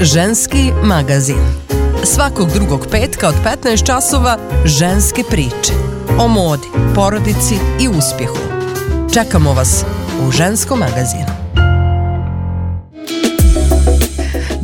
Ženski magazin. Svakog drugog petka od 15 časova ženske priče. O modi, porodici i uspjehu. Čekamo vas u Ženskom magazinu.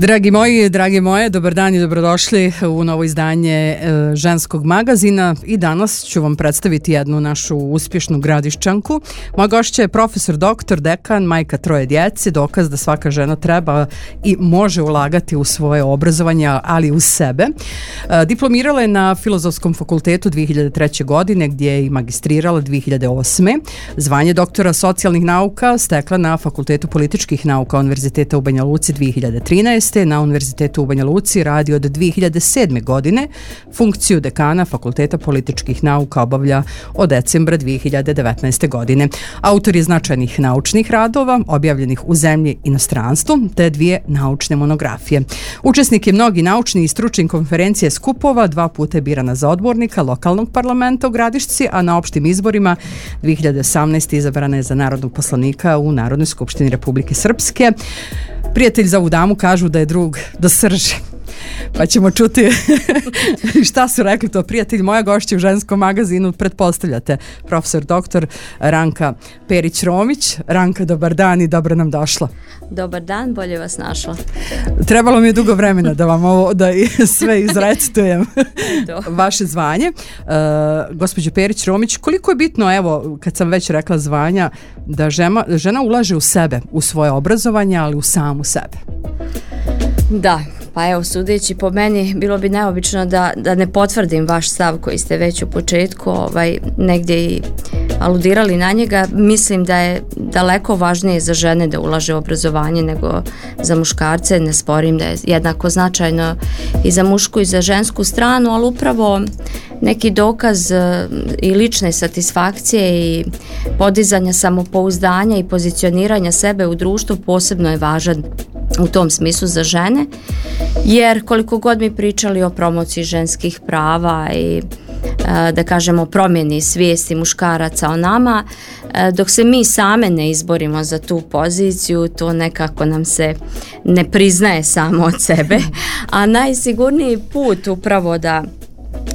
Dragi moji, drage moje, dobar dan i dobrodošli u novo izdanje Ženskog magazina i danas ću vam predstaviti jednu našu uspješnu gradišćanku. Moja gošća je profesor, doktor, dekan, majka troje djece, dokaz da svaka žena treba i može ulagati u svoje obrazovanje, ali u sebe. Diplomirala je na Filozofskom fakultetu 2003. godine gdje je i magistrirala 2008. Zvanje doktora socijalnih nauka stekla na Fakultetu političkih nauka Univerziteta u Banja Luci 2013. Na Univerzitetu u Banja Luci radi od 2007. godine. Funkciju dekana Fakulteta političkih nauka obavlja od decembra 2019. godine. Autor je značajnih naučnih radova, objavljenih u zemlji i inostranstvu, te 2 naučne monografije. Učesnik je mnogi naučni i stručnih konferencije skupova, 2 puta je birana za odbornika lokalnog parlamenta u Gradišci, a na opštim izborima 2018. izabrana je za narodnog poslanika u Narodnoj skupštini Republike Srpske. Prijatelj za ovu damu kažu da je drug do srži. Pa ćemo čuti šta su rekli to prijatelji. Moja gošća u Ženskom magazinu, pretpostavljate, profesor doktor Ranka Perić-Romić. Ranka, dobar dan i dobro nam došla. Dobar dan, bolje vas našla. Trebalo mi je dugo vremena da vam ovo da sve izrecitujem vaše zvanje. Gospođo Perić-Romić, koliko je bitno, evo, kad sam već rekla zvanja, da žena ulaže u sebe, u svoje obrazovanje, ali u samu sebe? Da. Pa evo, sudeći po meni, bilo bi neobično da ne potvrdim vaš stav koji ste već u početku negdje i aludirali na njega. Mislim da je daleko važnije za žene da ulaže u obrazovanje nego za muškarce. Ne sporim da je jednako značajno i za mušku i za žensku stranu, ali upravo neki dokaz i lične satisfakcije i podizanja samopouzdanja i pozicioniranja sebe u društvu posebno je važan u tom smislu za žene, jer koliko god mi pričali o promociji ženskih prava i da kažemo promjeni svijesti muškaraca o nama, dok se mi same ne izborimo za tu poziciju, to nekako nam se ne priznaje samo od sebe, a najsigurniji put upravo da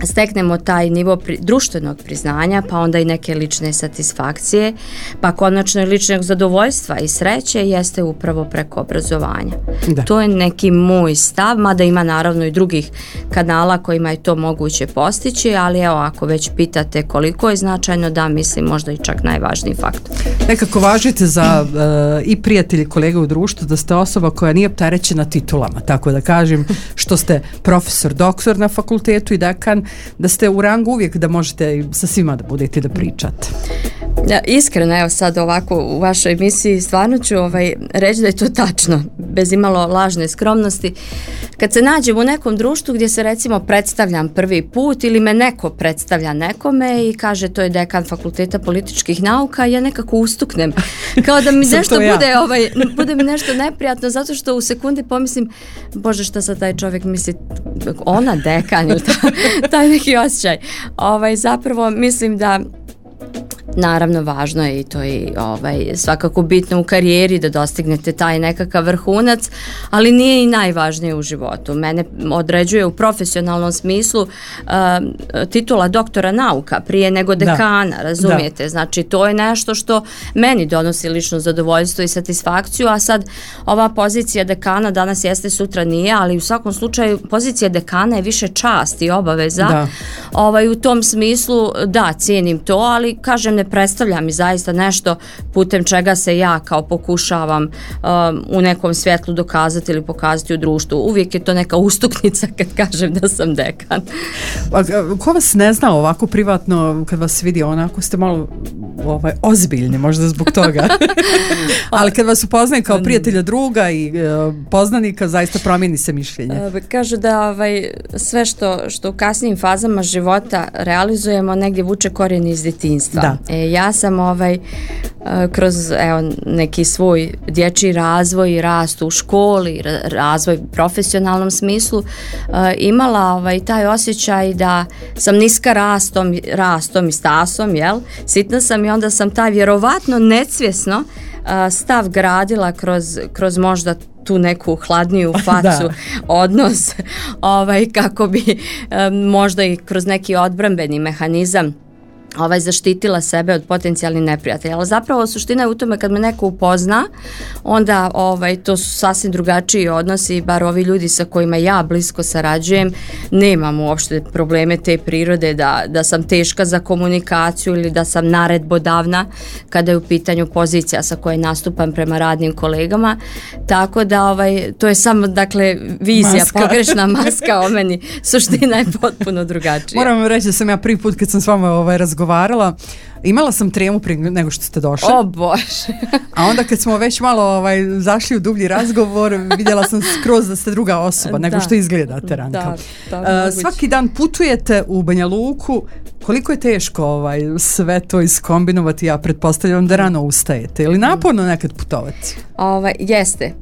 steknemo taj nivo društvenog priznanja, pa onda i neke lične satisfakcije, pa konačno i ličnog zadovoljstva i sreće jeste upravo preko obrazovanja. Da. To je neki moj stav, mada ima naravno i drugih kanala kojima je to moguće postići, ali evo, ako već pitate koliko je značajno, da, mislim možda i čak najvažniji faktor. Nekako važite za i prijatelji, kolege u društvu, da ste osoba koja nije opterećena titulama, tako da kažem, što ste profesor, doktor na fakultetu i dekan, da ste u rangu uvijek da možete sa svima da budete da pričate. Ja, iskreno, evo sad ovako u vašoj emisiji stvarno ću reći da je to tačno, bez imalo lažne skromnosti. Kad se nađem u nekom društvu gdje se recimo predstavljam prvi put ili me neko predstavlja nekome i kaže to je dekan Fakulteta političkih nauka, ja nekako ustuknem. Kao da mi nešto bude mi nešto neprijatno, zato što u sekundi pomislim, bože, šta sad taj čovjek misli, ona dekan ili taj neki osjećaj. Zapravo mislim da naravno važno je i to i svakako bitno u karijeri da dostignete taj nekakav vrhunac, ali nije i najvažnije u životu. Mene određuje u profesionalnom smislu titula doktora nauka prije nego dekana, razumijete? Da. Znači to je nešto što meni donosi lično zadovoljstvo i satisfakciju, a sad ova pozicija dekana danas jeste, sutra nije, ali u svakom slučaju pozicija dekana je više čast i obaveza. Da. U tom smislu da, cijenim to, ali kažem, ne predstavlja mi zaista nešto putem čega se ja kao pokušavam u nekom svjetlu dokazati ili pokazati u društvu. Uvijek je to neka ustuknica kad kažem da sam dekan. Ko vas ne zna ovako privatno, kad vas vidi onako ste malo ozbiljni, možda zbog toga. Ali kad vas upoznaje kao prijatelja, druga i poznanika, zaista promijeni se mišljenje. Kažu da sve što u kasnijim fazama života realizujemo negdje vuče korijen iz djetinjstva. Da. Ja sam kroz neki svoj dječji razvoj i rast u školi, razvoj u profesionalnom smislu, imala taj osjećaj da sam niska rastom i stasom, sitna sam, i onda sam taj vjerovatno nesvjesno stav gradila kroz možda tu neku hladniju facu, odnos, kako bi možda i kroz neki odbrambeni mehanizam zaštitila sebe od potencijalnih neprijatelja. Ali zapravo suština je u tome kad me neko upozna, onda to su sasvim drugačiji odnosi, bar ovi ljudi sa kojima ja blisko sarađujem, nemam uopšte probleme te prirode da sam teška za komunikaciju ili da sam naredbodavna kada je u pitanju pozicija sa koje nastupam prema radnim kolegama. Tako da to je samo, dakle, vizija, pogrešna maska o meni. Suština je potpuno drugačija. Moram vam reći da sam ja prvi put kad sam s vama razgovarala, imala sam tremu prije nego što ste došli. O Bože. A onda kad smo već malo zašli u dublji razgovor, vidjela sam skroz da ste druga osoba nego što izgledate, Ranka. Svaki dan putujete u Banja Luku. Koliko je teško sve to iskombinovati? Ja pretpostavljam da rano ustajete. Ili naporno nekad putovati? Jeste.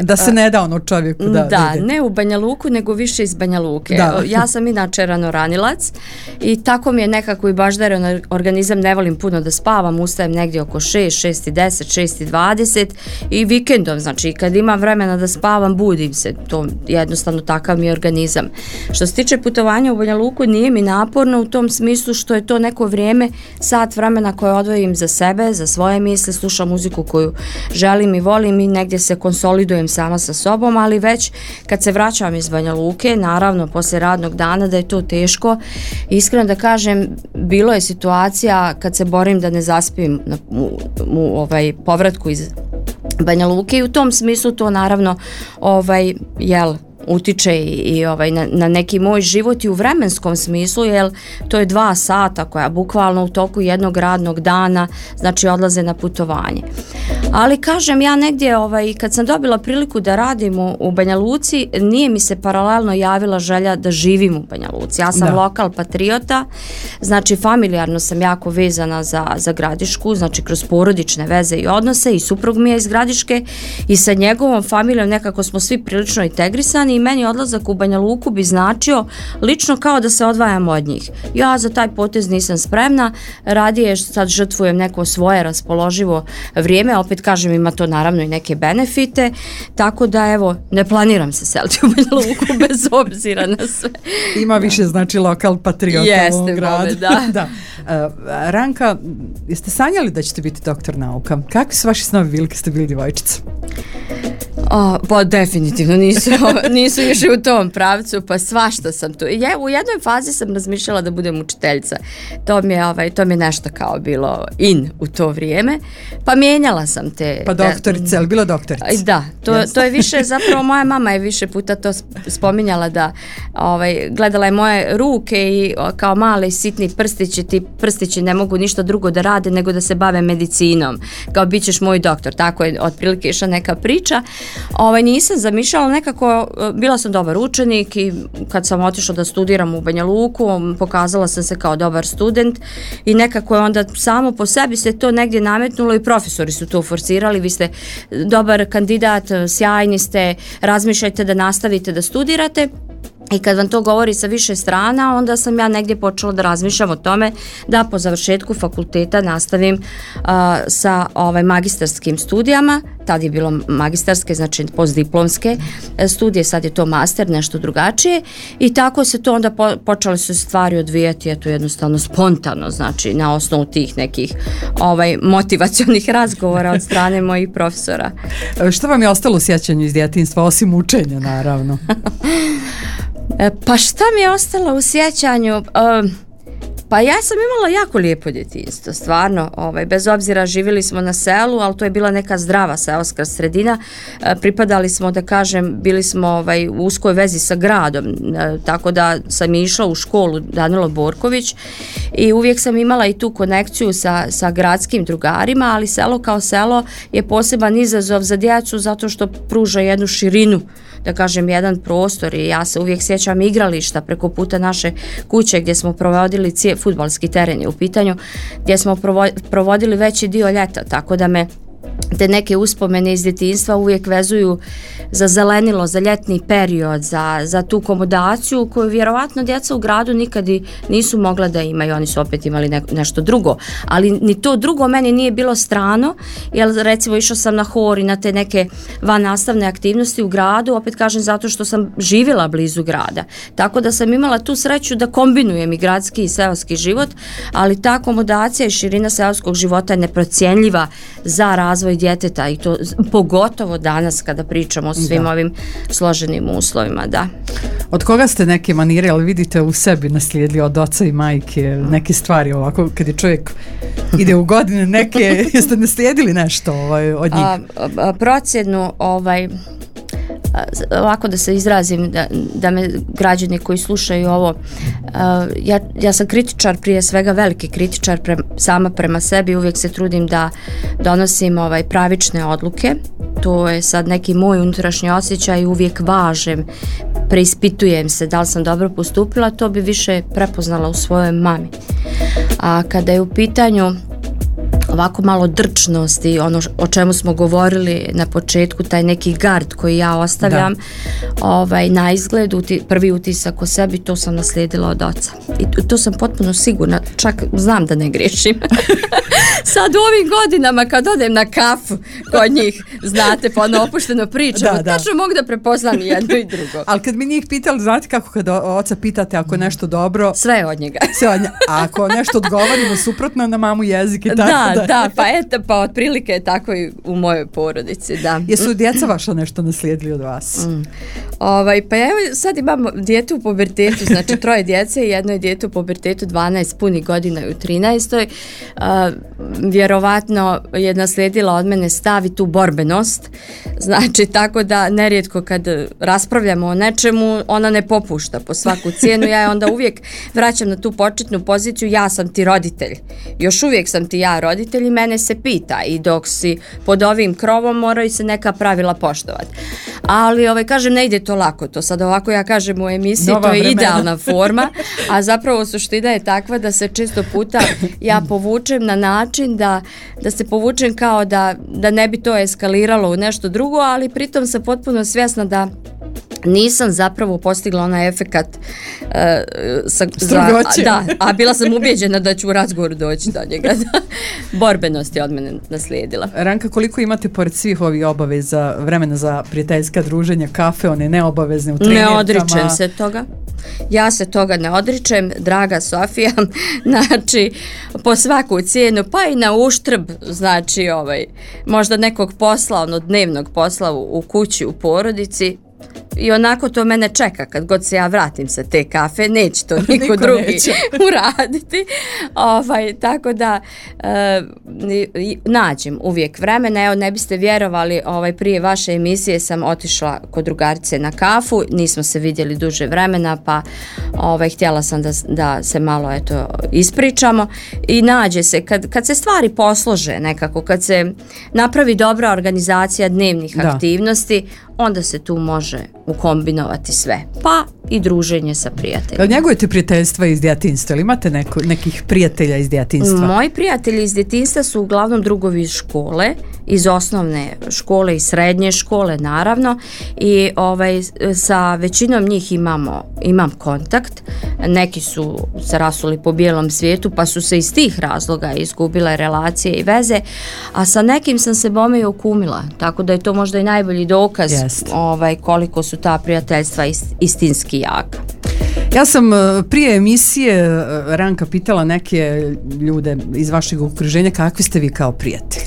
Da se ne da čovjeku da ide. Ne u Banja Luku, nego više iz Banja Luke. Ja sam inače ranoranilac i tako mi je nekako i baždaren organizam, ne volim puno da spavam, ustajem negdje oko 6, 6:10, 6:20 i vikendom, znači kad imam vremena da spavam, budim se. To jednostavno takav mi je organizam. Što se tiče putovanja u Banja Luku, nije mi naporno u tom smislu što je to neko vrijeme, sat vremena koje odvojim za sebe, za svoje misle, slušam muziku koju želim i volim i negdje se konsolidujem sama sa sobom, ali već kad se vraćam iz Banja Luke, naravno poslije radnog dana, da je to teško. Iskreno da kažem, bilo je situacija kad se borim da ne zaspim u povratku iz Banja Luke i u tom smislu to naravno utiče i na neki moj život i u vremenskom smislu, jer to je 2 sata koja bukvalno u toku jednog radnog dana znači odlaze na putovanje. Ali kažem, ja negdje kad sam dobila priliku da radim u Banja Luci, nije mi se paralelno javila želja da živim u Banja Luci. Ja sam lokal patriota, znači familijarno sam jako vezana za Gradišku, znači kroz porodične veze i odnose, i suprug mi je iz Gradiške i sa njegovom familijom nekako smo svi prilično integrisani i meni odlazak u Banja Luku bi značio lično kao da se odvajam od njih. Ja za taj potez nisam spremna, radije sad žrtvujem neko svoje raspoloživo vrijeme, opet kažem, ima to naravno i neke benefite, tako da evo, ne planiram se seliti u Banja Luku bez obzira na sve. Ima više znači lokal patriota u ovom gradu. Da. Ranka, jeste sanjali da ćete biti doktor nauka? Kakvi su vaši snovi bili kad ste bili djevojčica? Pa definitivno nisu išli u tom pravcu, pa svašta sam tu. U jednoj fazi sam razmišljala da budem učiteljica. To mi je nešto kao bilo in u to vrijeme. Pa mijenjala sam te... Pa doktorica, ali bila doktorica? Da, to je više, zapravo moja mama je više puta to spominjala da gledala je moje ruke i kao mali sitni prstići, ti prstići ne mogu ništa drugo da rade nego da se bave medicinom. Kao bit ćeš moj doktor, tako je otprilike išla neka priča. Nisam zamišljala, nekako bila sam dobar učenik i kad sam otišla da studiram u Banja Luku, pokazala sam se kao dobar student i nekako je onda samo po sebi se to negdje nametnulo i profesori su to forsirali, vi ste dobar kandidat, sjajni ste, razmišljajte da nastavite da studirate. I kad vam to govori sa više strana, onda sam ja negdje počela da razmišljam o tome da po završetku fakulteta nastavim sa magistarskim studijama. Tad je bilo magistarske, znači postdiplomske studije, sad je to master, nešto drugačije. I tako se to onda počele su stvari odvijati, eto jednostavno spontano, znači na osnovu tih nekih motivacionih razgovora od strane mojih profesora. Što vam je ostalo u sjećanju iz djetinjstva, osim učenja, naravno? Pa šta mi je ostalo u sjećanju? Pa ja sam imala jako lijepo djetinjstvo, stvarno, bez obzira živjeli smo na selu, ali to je bila neka zdrava seoska sredina, pripadali smo, da kažem, bili smo u uskoj vezi sa gradom, tako da sam išla u školu Danilo Borković i uvijek sam imala i tu konekciju sa gradskim drugarima, ali selo kao selo je poseban izazov za djecu zato što pruža jednu širinu, da kažem, jedan prostor i ja se uvijek sjećam igrališta preko puta naše kuće gdje smo provodili fudbalski teren je u pitanju, gdje smo provodili veći dio ljeta, tako da me te neke uspomene iz djetinjstva uvijek vezuju za zelenilo, za ljetni period, za tu komodaciju koju vjerovatno djeca u gradu nikad i nisu mogla da imaju. Oni su opet imali nešto drugo, ali ni to drugo meni nije bilo strano, jer recimo išla sam na hor i na te neke vannastavne aktivnosti u gradu, opet kažem zato što sam živjela blizu grada, tako da sam imala tu sreću da kombinujem i gradski i seoski život, ali ta komodacija i širina seoskog života je neprocjenljiva za razvoj djeteta i to pogotovo danas kada pričamo o svim ovim složenim uslovima, da. Od koga ste neke manire, ali vidite u sebi naslijedili od oca i majke neke stvari ovako kad je čovjek ide u godine neke, jeste naslijedili nešto od njih? Procjenu ovako da se izrazim da me građani koji slušaju ovo, ja sam kritičar, prije svega veliki kritičar sama prema sebi, uvijek se trudim da donosim pravične odluke, to je sad neki moj unutrašnji osjećaj, uvijek važem, preispitujem se da li sam dobro postupila, to bi više prepoznala u svojoj mami. A kada je u pitanju ovako malo drčnosti, ono o čemu smo govorili na početku, taj neki gard koji ja ostavljam na izgled, prvi utisak o sebi, to sam naslijedila od oca. I to sam potpuno sigurna, čak znam da ne griješim. Sad u ovim godinama kad odem na kafu kod njih, znate, pa ono opušteno pričamo, tačno mogu da prepoznam jedno i drugo. Ali kad mi njih pitali, znate kako kad oca pitate ako je nešto dobro... Sve je od njega. A ako nešto odgovorimo suprotno na mamu jezik i tako pa otprilike je tako i u mojoj porodici, da. Jesu djeca vaša nešto naslijedili od vas? Pa evo sad imamo dijete u pubertetu, znači 3 djece i jedno je dijete u pubertetu 12 punih godina i u 13. Vjerovatno je naslijedila od mene stav i tu borbenost, znači tako da nerijetko kad raspravljamo o nečemu ona ne popušta po svaku cijenu, ja je onda uvijek vraćam na tu početnu poziciju, ja sam ti roditelj, još uvijek sam ti ja roditelj i mene se pita i dok si pod ovim krovom moraju se neka pravila poštovati. Ali kažem, ne ide to lako, to sad ovako ja kažem u emisiji, to je idealna forma, a zapravo suština je takva da se često puta ja povučem na način da se povučem kao da ne bi to eskaliralo u nešto drugo, ali pritom sam potpuno svjesna da nisam zapravo postigla onaj efekat a bila sam ubijeđena da ću u razgovoru doći do njega. Borbenost je od mene naslijedila. Ranka, koliko imate pored svih ovih obaveza vremena za prijateljska druženja, kafe, one neobavezne u trenirkama? Ne odričem se toga. Ja se toga ne odričem, draga Sofija, znači po svaku cijenu, pa i na uštrb, znači možda nekog posla, dnevnog posla u kući, u porodici. I onako to mene čeka kad god se ja vratim sa te kafe, neće to niko drugi uraditi. Tako da nađem uvijek vremena. Evo, ne biste vjerovali, prije vaše emisije sam otišla kod drugarice na kafu, nismo se vidjeli duže vremena, pa htjela sam da se malo ispričamo i nađe se, kad se stvari poslože nekako, kad se napravi dobra organizacija dnevnih aktivnosti, onda se tu može ukombinovati sve. Pa i druženje sa prijateljima. Njegujete prijateljstva iz djetinjstva ili imate nekih prijatelja iz djetinjstva? Moji prijatelji iz djetinjstva su uglavnom drugovi iz škole, iz osnovne škole i srednje škole naravno i sa većinom njih imam kontakt. Neki su se rasuli po bijelom svijetu pa su se iz tih razloga izgubile relacije i veze, a sa nekim sam se bome i okumila, tako da je to možda i najbolji dokaz koliko su ta prijateljstva istinski jaka. Ja sam prije emisije Ranka pitala neke ljude iz vašeg okruženja kakvi ste vi kao prijatelji.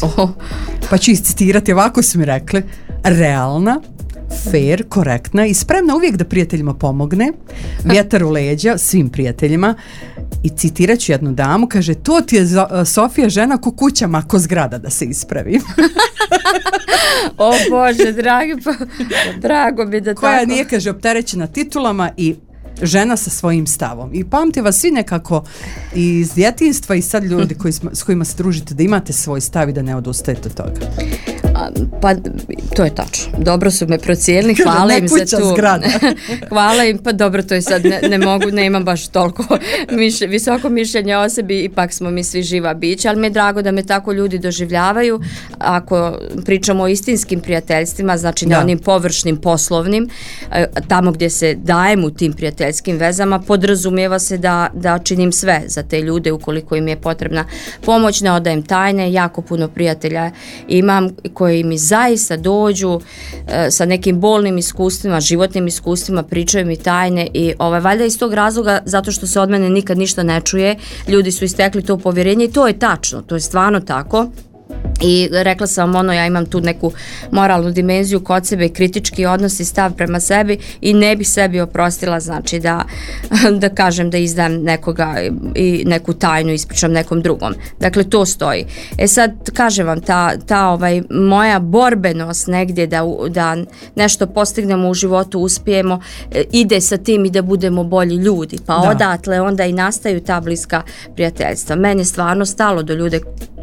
Pa ću iscitirati, ovako su mi rekli: realna, fair, korektna i spremna uvijek da prijateljima pomogne, vjetar u leđa svim prijateljima. I citirat ću jednu damu, kaže: to ti je Sofija žena ko kuća, ma ko zgrada, da se ispravim. O Bože, dragi, pa drago mi da koja nije, kaže, opterećena titulama i žena sa svojim stavom. I pamte vas svi nekako iz djetinjstva i sad ljudi s kojima se družite da imate svoj stav i da ne odustajete od toga. Pa to je tačno. Dobro su me procijenili, hvala im se tu. Hvala im, pa dobro, to je sad ne mogu, nemam baš toliko visoko mišljenje o sebi, ipak smo mi svi živa bića, ali mi je drago da me tako ljudi doživljavaju. Ako pričamo o istinskim prijateljstvima, znači na onim površnim poslovnim, tamo gdje se dajem u tim prijateljskim vezama, podrazumijeva se da činim sve za te ljude ukoliko im je potrebna pomoć, ne odajem tajne, jako puno prijatelja imam koji mi zaista dođu sa nekim bolnim iskustvima, životnim iskustvima, pričaju mi tajne i valjda iz tog razloga, zato što se od mene nikad ništa ne čuje, ljudi su istekli to povjerenje i to je tačno, to je stvarno tako. I rekla sam ja imam tu neku moralnu dimenziju kod sebe, kritički odnos i stav prema sebi i ne bih sebi oprostila, znači da kažem da izdam nekoga i neku tajnu ispričam nekom drugom. Dakle, to stoji. Sad, kažem vam, ta moja borbenost negdje da nešto postignemo u životu, uspijemo, ide sa tim i da budemo bolji ljudi. Pa odatle onda i nastaju ta bliska prijateljstva. Meni je stvarno stalo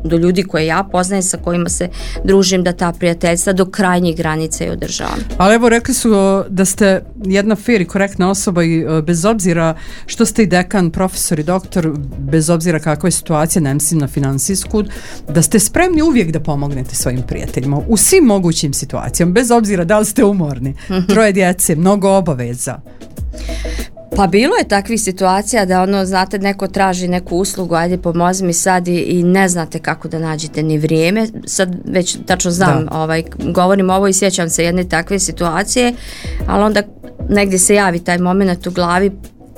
do ljudi koje ja poznajem, sa kojima se družim, da ta prijateljstva do krajnjih granica i održavam. Ali evo, rekli su da ste jedna fair i korektna osoba i bez obzira što ste i dekan, profesor i doktor, bez obzira kakva je situacija, ne mislim na finansijsku, da ste spremni uvijek da pomognete svojim prijateljima u svim mogućim situacijama, bez obzira da li ste umorni, 3 djece, mnogo obaveza. Pa bilo je takvih situacija da znate, neko traži neku uslugu, ajde pomozi mi sad i ne znate kako da nađete ni vrijeme. Sad već tačno znam, govorim ovo i sjećam se jedne takve situacije, ali onda negdje se javi taj moment u glavi,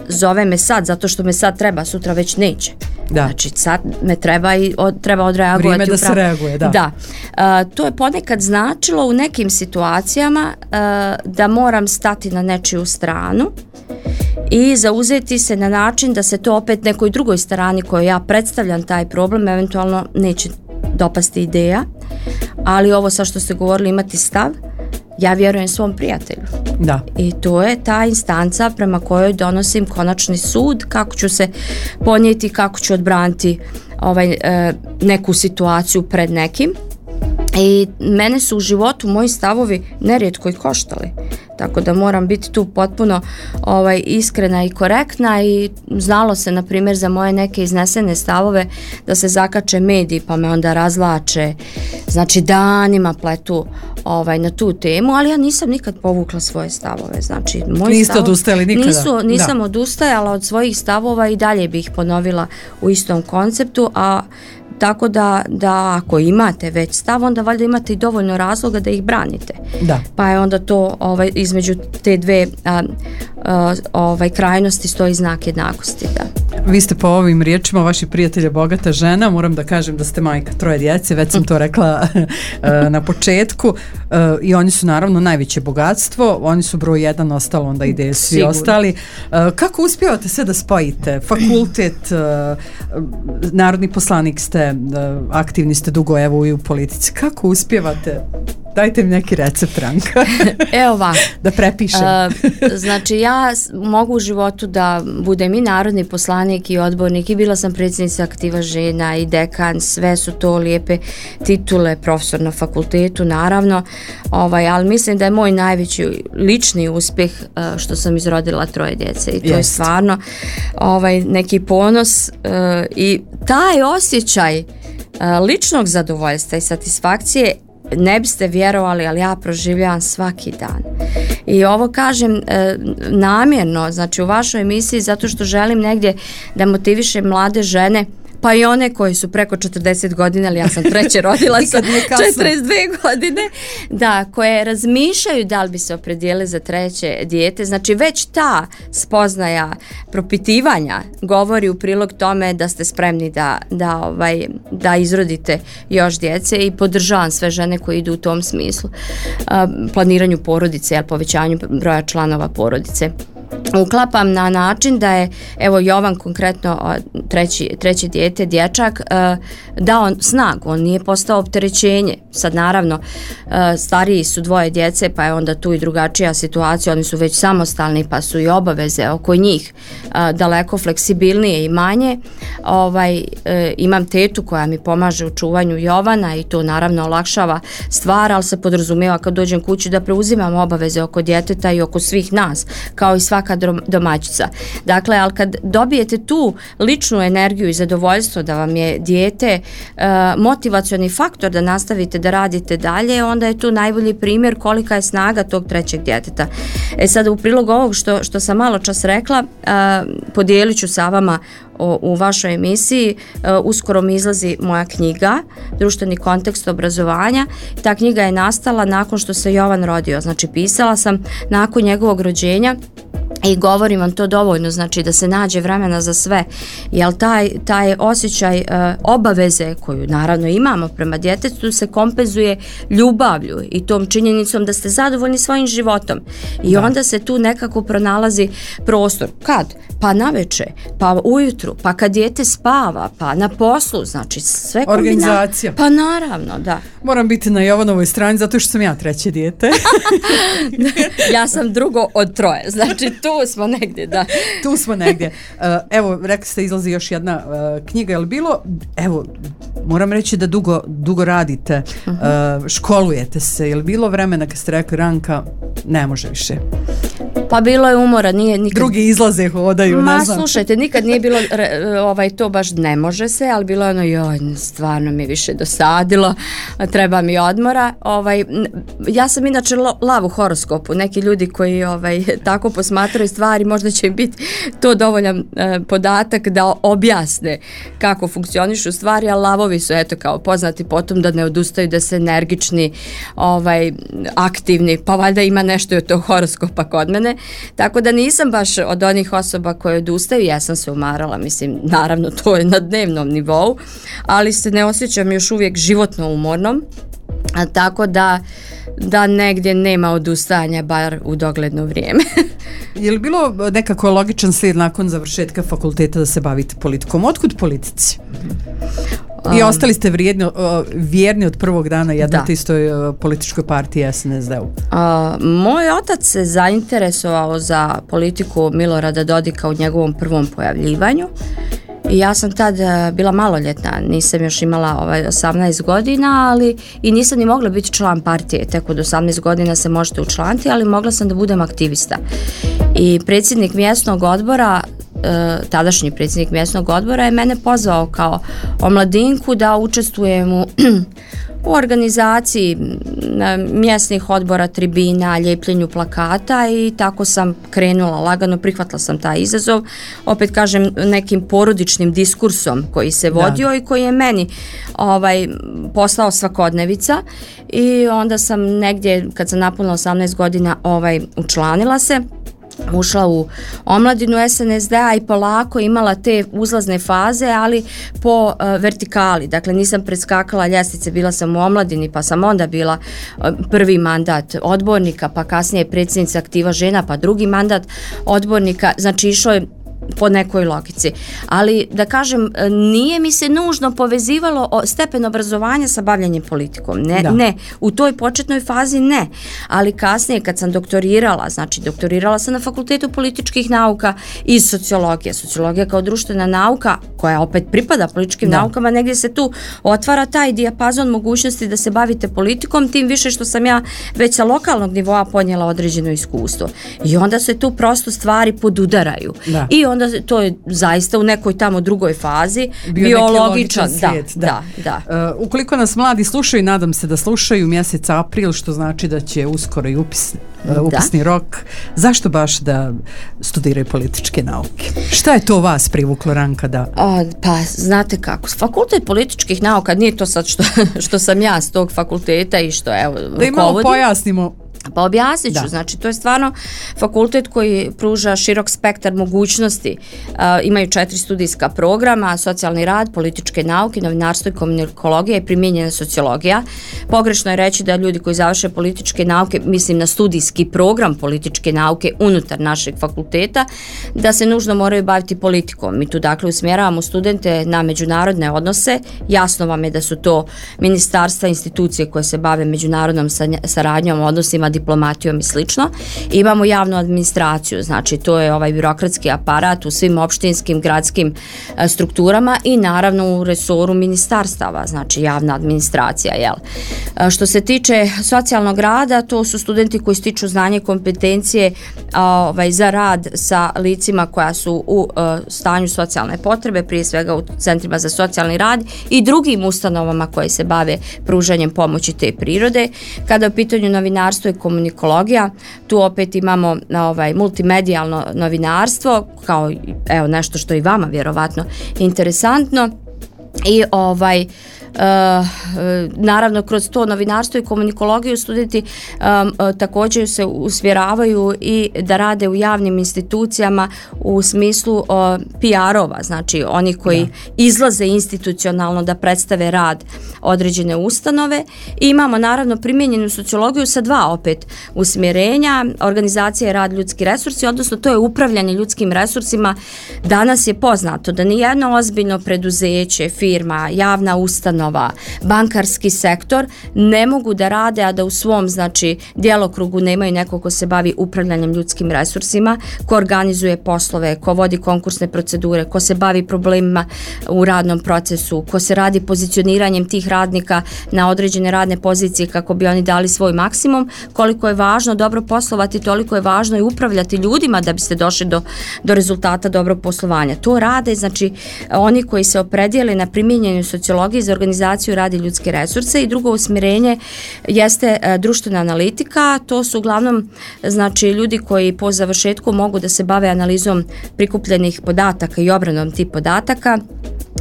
zove me sad zato što me sad treba, sutra već neće. Da. Znači sad me treba i treba odreagovati. Vrijeme da se reaguje, da. Da. To je ponekad značilo u nekim situacijama da moram stati na nečiju stranu i zauzeti se na način da se to opet nekoj drugoj strani kojoj ja predstavljam taj problem eventualno neće dopasti ideja, ali ovo sa što ste govorili, imati stav, ja vjerujem svom prijatelju. Da. I to je ta instanca prema kojoj donosim konačni sud, kako ću se ponijeti, kako ću odbraniti neku situaciju pred nekim. I mene su u životu moji stavovi nerijetko i koštali. Tako da moram biti tu potpuno iskrena i korektna i znalo se, na primjer, za moje neke iznesene stavove da se zakače mediji pa me onda razvlače, znači danima pletu na tu temu, ali ja nisam nikad povukla svoje stavove. Znači, niste odustajali nikada? Nisam odustajala od svojih stavova i dalje bih ih ponovila u istom konceptu, a tako da ako imate već stav, onda valjda imate i dovoljno razloga da ih branite. Da. Pa je onda to između te dve krajnosti stoji znak jednakosti. Da. Vi ste po ovim riječima vaši prijatelja bogata žena, moram da kažem da ste majka 3 djece, već sam to rekla na početku, i oni su naravno najveće bogatstvo, oni su broj 1, ostalo onda ide svi Sigurno. Ostali. Kako uspijevate sve da spojite? Fakultet, narodni poslanik ste, aktivni ste dugo evo i u politici. Kako uspijevate? Dajte mi neki recept, Ranka. Evo ovako. Da prepišem. Znači, ja mogu u životu da budem i narodni poslanik i odbornik i bila sam predsjednica Aktiva žena i dekan, sve su to lijepe titule, profesor na fakultetu, naravno, ali mislim da je moj najveći lični uspjeh što sam izrodila 3 djece i to je stvarno neki ponos i taj osjećaj ličnog zadovoljstva i satisfakcije ne biste vjerovali, ali ja proživljavam svaki dan. I ovo kažem namjerno, znači u vašoj emisiji, zato što želim negdje da motivišem mlade žene, pa i one koji su preko 40 godina, ali ja sam 3 rodila sa 42 godine, da, koje razmišljaju da li bi se opredijelili za 3 dijete. Znači već ta spoznaja propitivanja govori u prilog tome da ste spremni da izrodite još djece i podržavam sve žene koje idu u tom smislu. Planiranju porodice, povećanju broja članova porodice. uklapam na način da je, evo Jovan konkretno, treće dijete, dječak, dao snagu, on nije postao opterećenje. Sad naravno stariji su dvoje djece, pa je onda tu i drugačija situacija, oni su već samostalni, pa su i obaveze oko njih daleko fleksibilnije i manje. Imam tetu koja mi pomaže u čuvanju Jovana i to naravno olakšava stvar, ali se podrazumijeva kad dođem kući da preuzimam obaveze oko djeteta i oko svih nas, kao i svaka domaćica. Dakle, ali kad dobijete tu ličnu energiju i zadovoljstvo da vam je dijete motivacioni faktor da nastavite da radite dalje, onda je tu najbolji primjer kolika je snaga tog trećeg djeteta. Sad u prilog ovog što sam malo čas rekla, podijelit ću sa vama u vašoj emisiji, uskoro mi izlazi moja knjiga Društveni kontekst obrazovanja. Ta knjiga je nastala nakon što se Jovan rodio, znači pisala sam nakon njegovog rođenja i govorim vam to dovoljno, znači da se nađe vremena za sve, jer taj osjećaj obaveze koju naravno imamo prema djetetu se kompenzuje ljubavlju i tom činjenicom da ste zadovoljni svojim životom i onda se tu nekako pronalazi prostor. Kad? Pa naveče, pa ujutru, pa kad dijete spava, pa na poslu, znači sve organizacija. Pa naravno, da. Moram biti na Jovanovoj strani zato što sam ja treće dijete. Ja sam drugo od troje, znači tu smo negdje, da. Tu smo negdje. Evo, rekli ste, izlazi još jedna knjiga, je li bilo, evo, moram reći da dugo radite, školujete se, je li bilo vremena kad ste rekli Ranka, ne može više? Pa bilo je umora, nije nikad... Drugi izlaze, hodaju, ne znam. Slušajte, nikad nije bilo to baš ne može se, ali bilo je ono, joj, stvarno mi više dosadilo, treba mi odmora. Ja sam inače lav u horoskopu, neki ljudi koji tako posmatraju stvari, možda će im biti to dovoljan podatak da objasne kako funkcionišu stvari, a lavovi su eto kao poznati potom da ne odustaju, da se energični, aktivni, pa valjda ima nešto od tog horoskopa kod mene. Tako da nisam baš od onih osoba koje odustaju, ja sam se umarala, mislim, naravno to je na dnevnom nivou, ali se ne osjećam još uvijek životno umornom, tako da negdje nema odustajanja, bar u dogledno vrijeme. Je li bilo nekako logičan slijed nakon završetka fakulteta da se bavite politikom? Otkud politici? I ostali ste vjerni od prvog dana jednoj istoj političkoj partiji SNSD-u. Moj otac se zainteresovao za politiku Milorada Dodika u njegovom prvom pojavljivanju. I ja sam tad bila maloljetna, nisam još imala 18 godina, ali i nisam ni mogla biti član partije, tek od 18 godina se možete učlaniti, ali mogla sam da budem aktivista. I predsjednik mjesnog odbora, tadašnji predsjednik mjesnog odbora je mene pozvao kao omladinku da učestvujem u organizaciji mjesnih odbora, tribina, ljepljenju plakata i tako sam krenula lagano, prihvatila sam taj izazov, opet kažem nekim porodičnim diskursom koji se vodio i koji je meni postao svakodnevica i onda sam negdje kad sam napunila 18 godina učlanila se, ušla u omladinu SNSD-a i polako imala te uzlazne faze, ali po vertikali. Dakle, nisam preskakala ljestvice, bila sam u omladini, pa sam onda bila prvi mandat odbornika, pa kasnije predsjednica Aktiva žena, pa drugi mandat odbornika. Znači, išlo je po nekoj logici. Ali da kažem, nije mi se nužno povezivalo stepen obrazovanja sa bavljanjem politikom. Ne, u toj početnoj fazi ne. Ali kasnije kad sam doktorirala, znači doktorirala sam na Fakultetu političkih nauka iz sociologije. Sociologija kao društvena nauka, koja opet pripada političkim naukama, negdje se tu otvara taj dijapazon mogućnosti da se bavite politikom, tim više što sam ja već sa lokalnog nivoa ponijela određeno iskustvo. I onda se tu prosto stvari podudaraju. I onda to je zaista u nekoj tamo drugoj fazi biologičan svijet. Da. Ukoliko nas mladi slušaju, nadam se da slušaju, mjesec april, što znači da će uskoro i upisni rok. Zašto baš da studiraju političke nauke? Šta je to vas privuklo, Ranka, da? Pa znate kako, Fakultet političkih nauka, nije to sad što sam ja s tog fakulteta i što evo da im malo pojasnimo Pa objasnit ću, znači to je stvarno fakultet koji pruža širok spektar mogućnosti. Imaju 4 studijska programa: socijalni rad, političke nauke, novinarstvo i komunikologija i primijenjena sociologija. Pogrešno je reći da ljudi koji završe političke nauke, mislim na studijski program političke nauke unutar našeg fakulteta, da se nužno moraju baviti politikom. Mi tu dakle usmjeravamo studente na međunarodne odnose. Jasno vam je da su to ministarstva, institucije koje se bave međunarodnom saradnjom, odnosima, diplomatijom i slično. Imamo javnu administraciju, znači to je ovaj birokratski aparat u svim opštinskim, gradskim strukturama i naravno u resoru ministarstava, znači javna administracija, jel? Što se tiče socijalnog rada, to su studenti koji stiču znanje i kompetencije za rad sa licima koja su u stanju socijalne potrebe, prije svega u centrima za socijalni rad i drugim ustanovama koje se bave pružanjem pomoći te prirode. Kada je u pitanju novinarstvo i komunikologija, tu opet imamo multimedijalno novinarstvo kao nešto što je i vama vjerovatno interesantno i naravno kroz to novinarstvo i komunikologiju studenti također se usmjeravaju i da rade u javnim institucijama u smislu PR-ova, znači oni koji izlaze institucionalno da predstave rad određene ustanove. I imamo naravno primijenjenu sociologiju sa 2 opet usmjerenja: organizacija i rad, ljudski resursi, odnosno to je upravljanje ljudskim resursima. Danas je poznato da nijedno ozbiljno preduzeće, firma, javna ustanova, bankarski sektor ne mogu da rade, a da u svom djelokrugu nemaju neko ko se bavi upravljanjem ljudskim resursima, ko organizuje poslove, ko vodi konkursne procedure, ko se bavi problemima u radnom procesu, ko se radi pozicioniranjem tih radnika na određene radne pozicije kako bi oni dali svoj maksimum. Koliko je važno dobro poslovati, toliko je važno i upravljati ljudima da biste došli do rezultata dobrog poslovanja. To rade oni koji se opredijele na primjenjenju sociologije za organizaciju, rad i ljudske resurse. I drugo usmjerenje jeste društvena analitika. To su uglavnom ljudi koji po završetku mogu da se bave analizom prikupljenih podataka i obradom tih podataka.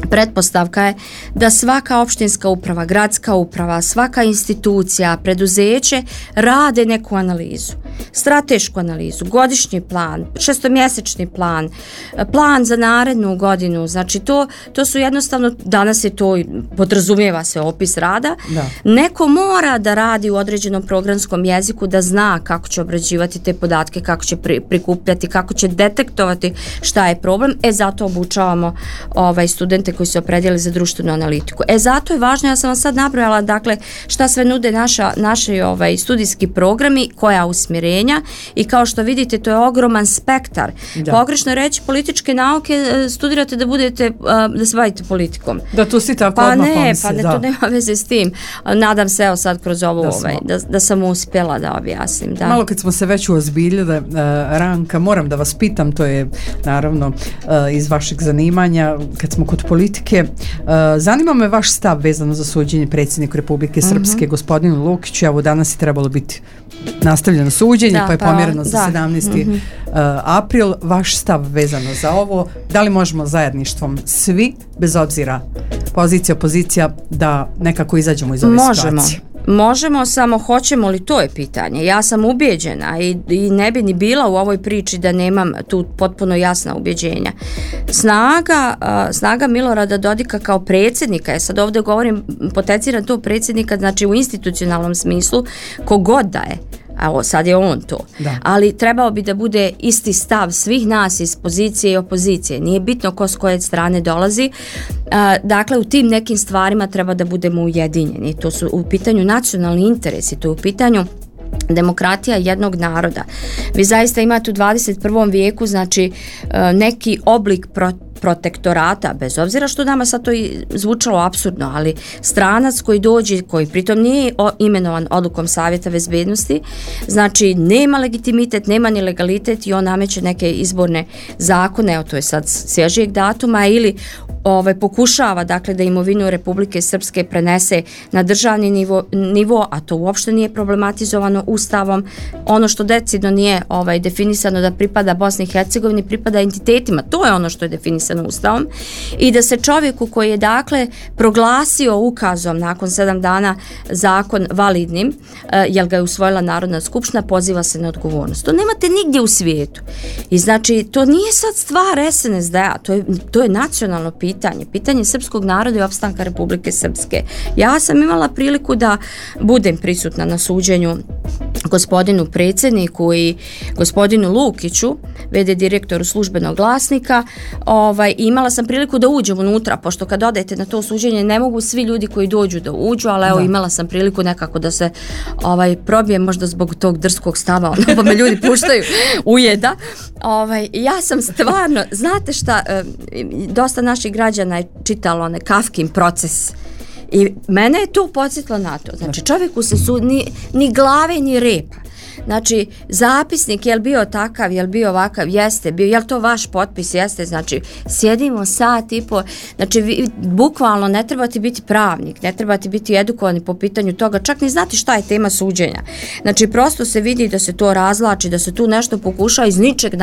Pretpostavka je da svaka opštinska uprava, gradska uprava, svaka institucija, preduzeće rade neku analizu, stratešku analizu, godišnji plan, šestomjesečni plan, plan za narednu godinu. Znači to su jednostavno, danas je to, podrazumijeva se opis rada. Da. Neko mora da radi u određenom programskom jeziku, da zna kako će obrađivati te podatke, kako će prikupljati, kako će detektovati šta je problem. Zato obučavamo studente koji se opredijeli za društvenu analitiku. Zato je važno, ja sam vam sad nabrojala šta sve nude naši studijski programi, koja usmjerenja, i kao što vidite to je ogroman spektar. Pogrešno je reći političke nauke, studirate da se bavite politikom. Da tu si tako odmah pomisli. To nema veze s tim. Nadam se sad kroz ovo da sam uspjela da objasnim. Da. Malo kad smo se već uozbiljili, Ranka, moram da vas pitam, to je naravno iz vašeg zanimanja, kad smo kod politike, zanima me vaš stav vezano za suđenje predsjedniku Republike Srpske, gospodinu Lukiću. Evo, danas je trebalo biti nastavljeno suđenje, pa je pomjereno za 17. April. Vaš stav vezano za ovo, da li možemo zajedništvom svi, bez obzira pozicija, opozicija, da nekako izađemo iz ove situacije? Možemo, samo hoćemo li, to je pitanje. Ja sam ubijeđena i ne bi ni bila u ovoj priči da nemam tu potpuno jasna ubjeđenja. Snaga Milorada Dodika kao predsjednika, ja sad ovdje govorim, potenciram to predsjednika, znači u institucionalnom smislu, kogod da je, a sad je on to. Da. Ali trebao bi da bude isti stav svih nas iz pozicije i opozicije. Nije bitno ko s koje strane dolazi. Dakle, u tim nekim stvarima treba da budemo ujedinjeni. To su u pitanju nacionalni interesi, to je u pitanju demokratija jednog naroda. Vi zaista imate u 21. vijeku neki oblik protektorata, bez obzira što nama sad to zvučalo apsurdno, ali stranac koji dođe, koji pritom nije imenovan odlukom Savjeta bezbednosti, znači nema legitimitet, nema ni legalitet i on nameće neke izborne zakone, to je sad svježijeg datuma, ili pokušava dakle da imovinu Republike Srpske prenese na državni nivo, a to uopšte nije problematizovano Ustavom. Ono što decidno nije definisano da pripada Bosni i Hercegovini, pripada entitetima, to je ono što je definisano Ustavom, i da se čovjeku koji je dakle proglasio ukazom nakon 7 dana zakon validnim, jer ga je usvojila Narodna skupština, poziva se na odgovornost. To nemate nigdje u svijetu. I znači, to nije sad stvar SNSD-a, to je nacionalno pitanje srpskog naroda i opstanka Republike Srpske. Ja sam imala priliku da budem prisutna na suđenju gospodinu predsjedniku i gospodinu Lukiću, v.d. direktoru Službenog glasnika. Imala sam priliku da uđem unutra, pošto kad odete na to suđenje ne mogu svi ljudi koji dođu da uđu, ali evo imala sam priliku nekako da se probijem, možda zbog tog drskog stava, pa me ljudi puštaju ujeda. Ja sam stvarno, znate šta, dosta naših građana je čitalo Kafkin Proces. I mene je to podsjetilo na to. Znači, čovjeku se ni glave ni repa. Znači, zapisnik, je li bio takav, je li bio ovakav, jeste, bio, je li to vaš potpis, jeste, znači, sjedimo sat i po, znači, bukvalno ne trebate biti pravnik, ne trebate biti edukovani po pitanju toga, čak ni znati šta je tema suđenja. Znači, prosto se vidi da se to razlači, da se tu nešto pokuša iz ničeg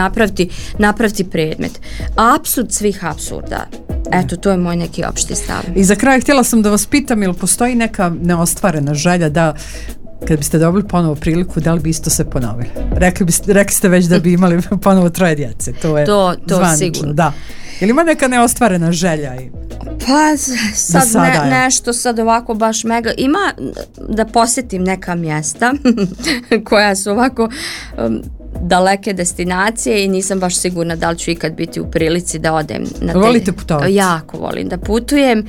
napraviti predmet. Apsurd svih apsurda. Eto, to je moj neki opšti stav. I za kraj htjela sam da vas pitam, ili postoji neka neostvarena želja da kad biste dobili ponovo priliku, da li bi isto se ponovili? Rekli ste već da bi imali ponovo 3 djece. To je zvanično. Sigurno. Da. Ili ima neka neostvarena želja? Pa nešto sad ovako baš mega. Ima da posjetim neka mjesta koja su ovako daleke destinacije i nisam baš sigurna da li ću ikad biti u prilici da odem na te. Volite putovati? Jako volim da putujem.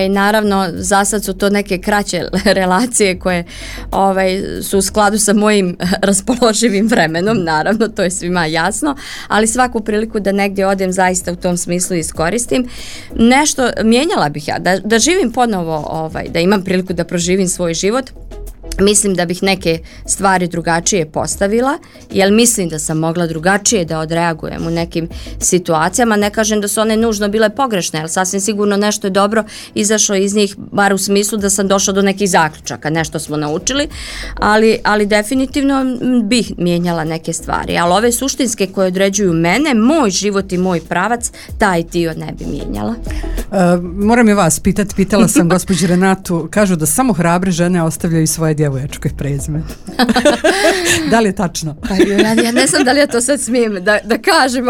Naravno, za sad su to neke kraće relacije koje su u skladu sa mojim raspoloživim vremenom, naravno, to je svima jasno, ali svaku priliku da negdje odem zaista u tom smislu iskoristim. Nešto mijenjala bih ja, da živim ponovo, da imam priliku da proživim svoj život. Mislim da bih neke stvari drugačije postavila, jer mislim da sam mogla drugačije da odreagujem u nekim situacijama. Ne kažem da su one nužno bile pogrešne, ali sasvim sigurno nešto je dobro izašlo iz njih, bar u smislu da sam došla do nekih zaključaka, nešto smo naučili, ali definitivno bih mijenjala neke stvari. Ali ove suštinske koje određuju mene, moj život i moj pravac, taj dio ne bi mijenjala. Moram i vas pitati, pitala sam gospođu Renatu, kažu da samo hrabre žene ostavljaju svoje djevoječke prezime. Da li je tačno? Pa, ja ne znam da li ja to sad smijem da kažem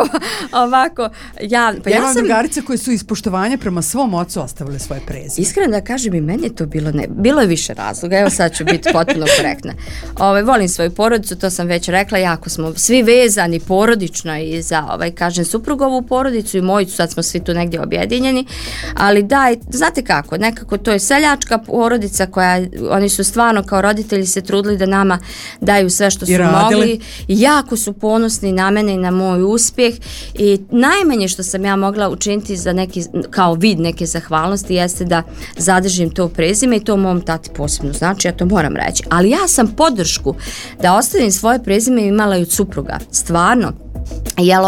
ovako. Ja imam drugarice koje su iz poštovanja prema svom ocu ostavile svoje prezime. Iskreno da kažem, i meni je to bilo je više razloga. Evo sad ću biti potpuno korektna. Volim svoju porodicu, to sam već rekla, jako smo svi vezani porodično i za kažem suprugovu porodicu i moju, sad smo svi tu negdje objedinjeni, ali da, znate kako, nekako to je seljačka porodica koja, oni su stvarno kao roditelji se trudili da nama daju sve što su mogli. Jako su ponosni na mene i na moj uspjeh i najmanje što sam ja mogla učiniti za neki, kao vid neke zahvalnosti jeste da zadržim to prezime i to mom tati posebno znači, ja to moram reći. Ali ja sam podršku da ostavim svoje prezime imala i od supruga. Stvarno. Jel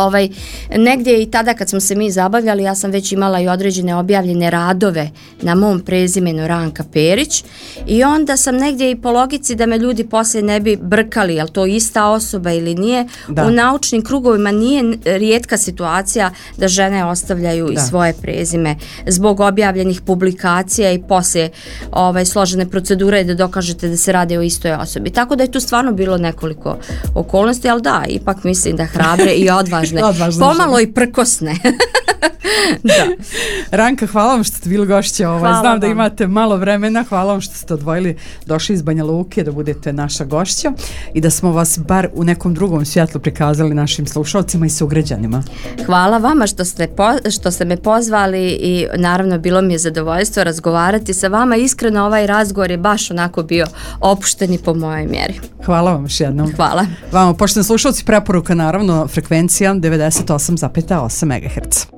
negdje i tada kad smo se mi zabavljali, ja sam već imala i određene objavljene radove na mom prezimenu Ranka Perić i onda sam negdje i po logici da me ljudi poslije ne bi brkali, jel to ista osoba ili nije. Da. U naučnim krugovima nije rijetka situacija da žene ostavljaju i svoje prezime zbog objavljenih publikacija i poslije složene procedure da dokažete da se radi o istoj osobi. Tako da je tu stvarno bilo nekoliko okolnosti, ali da, ipak mislim da hrabre i odvažne. Pomalo i prkosne. Da. Ranka, hvala vam što ste bili gošće. Znam vam da imate malo vremena. Hvala vam što ste došli iz Banja Luke da budete naša gošća i da smo vas bar u nekom drugom svjetlu prikazali našim slušalcima i sugrađanima. Hvala vama što ste me pozvali i naravno bilo mi je zadovoljstvo razgovarati sa vama. Iskreno ovaj razgovor je baš onako bio opušten i po mojoj mjeri. Hvala vam još jednom. Hvala. Vama, poštovani slušalci, preporuka naravno frekvencija 98,8 MHz.